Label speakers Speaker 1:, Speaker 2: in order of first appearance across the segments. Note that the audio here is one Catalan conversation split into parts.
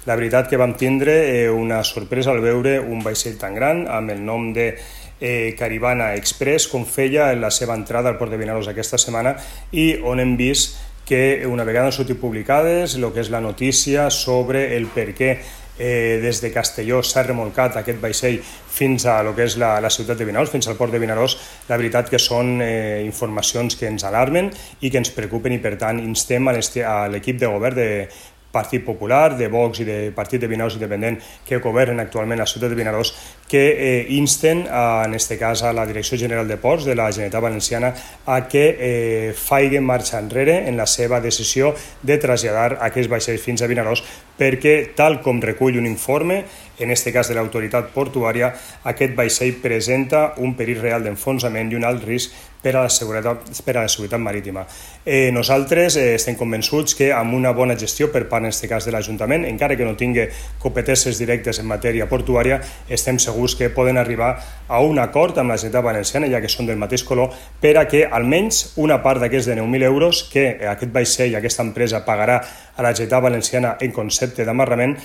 Speaker 1: La veritat que vam tindre una sorpresa al veure un vaixell tan gran amb el nom de Caribana Express, com feia en la seva entrada al port de Vinaròs aquesta setmana, i on hem vist que una vegada han sortit publicades el que és la notícia sobre el per què des de Castelló s'ha remolcat aquest vaixell fins a lo que és la ciutat de Vinaròs, fins al port de Vinaròs. La veritat que són informacions que ens alarmen i que ens preocupen, i per tant instem a l'equip de govern de Partit Popular, de Vox i de Partit de Vinaròs Independent que governen actualment la ciutat de Vinaròs, que insten, en aquest cas, a la Direcció General de Ports de la Generalitat Valenciana a que faci marxa enrere en la seva decisió de traslladar aquests vaixells fins a Vinaròs, perquè, tal com recull un informe, en aquest cas de l'autoritat portuària, aquest vaixell presenta un perill real d'enfonsament i un alt risc per a la seguretat marítima. Nosaltres estem convençuts que amb una bona gestió per part, en aquest cas, de l'Ajuntament, encara que no tingui competències directes en matèria portuària, estem segurs que poden arribar a un acord amb la Generalitat Valenciana, ja que són del mateix color, per a que almenys una part d'aquests de 9.000 euros que aquest vaixell, aquesta empresa, pagarà a la Generalitat Valenciana en concepte d'amarrament,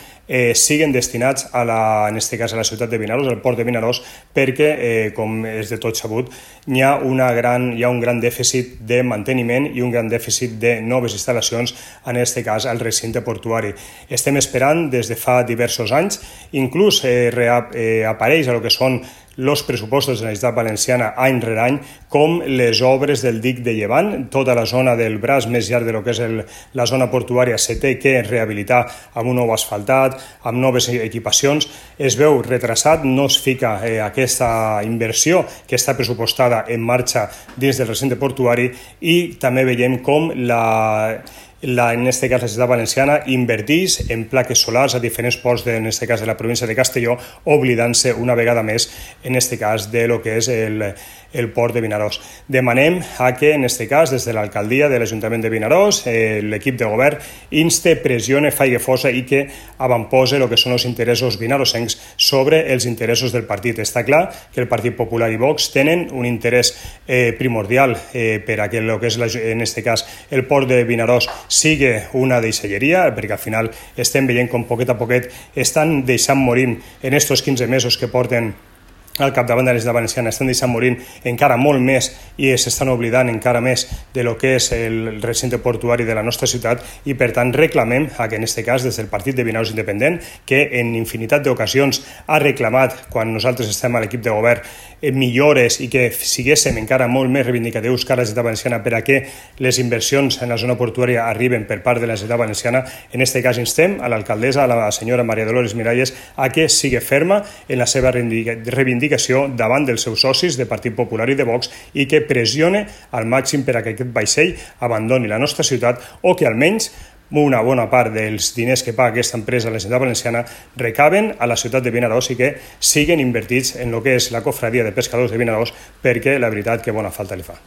Speaker 1: siguin destinats en aquest cas a la ciutat de Vinaròs, al port de Vinaròs, perquè, com és de tot sabut, hi ha un gran dèficit de manteniment i un gran dèficit de noves instal·lacions, en aquest cas al recinte portuari. Estem esperant des de fa diversos anys, inclús apareix a lo que són els pressupostos de la Generalitat Valenciana any rere any, com les obres del dic de Llevant. Tota la zona del braç més llarg de lo que és la zona portuària se té que rehabilitar amb un nou asfaltat, amb noves equipacions. Es veu retrasat, no es fica aquesta inversió que està pressupostada en marxa dins del recinte portuari, i també veiem com en aquest cas la ciutat valenciana inverteix en plaques solars a diferents ports, en aquest cas de la província de Castelló, oblidant-se una vegada més, en aquest cas, de lo que és el port de Vinaròs. Demanem que, en aquest cas, des de l'alcaldia de l'Ajuntament de Vinaròs, l'equip de govern inste, pressione, faci força i que avantposi el que són els interessos vinarossencs sobre els interessos del partit. Està clar que el Partit Popular i Vox tenen un interès primordial per a que el que és, en aquest cas, el port de Vinaròs sigui una deixalleria, perquè al final estem veient com poquet a poquet estan deixant morir en estos 15 mesos que porten al capdavant de la Generalitat Valenciana, estan deixant morir encara molt més i s'estan oblidant encara més de lo que és el recinte portuari de la nostra ciutat, i per tant reclamem que, en aquest cas, des del Partit de Vinaròs Independent, que en infinitat d'ocasions ha reclamat, quan nosaltres estem a l'equip de govern, millores i que siguéssim encara molt més reivindicatius que la Generalitat Valenciana per a que les inversions en la zona portuària arriben per part de la Generalitat Valenciana. En aquest cas instem a l'alcaldessa, a la senyora Maria Dolores Miralles, a que sigui ferma en la seva reivindicació davant dels seus socis de Partit Popular i de Vox, i que pressione al màxim per a que aquest vaixell abandoni la nostra ciutat, o que almenys una bona part dels diners que paga aquesta empresa a la Generalitat Valenciana recaben a la ciutat de Vinaròs i que siguen invertits en el que és la cofradia de pescadors de Vinaròs, perquè la veritat que bona falta li fa.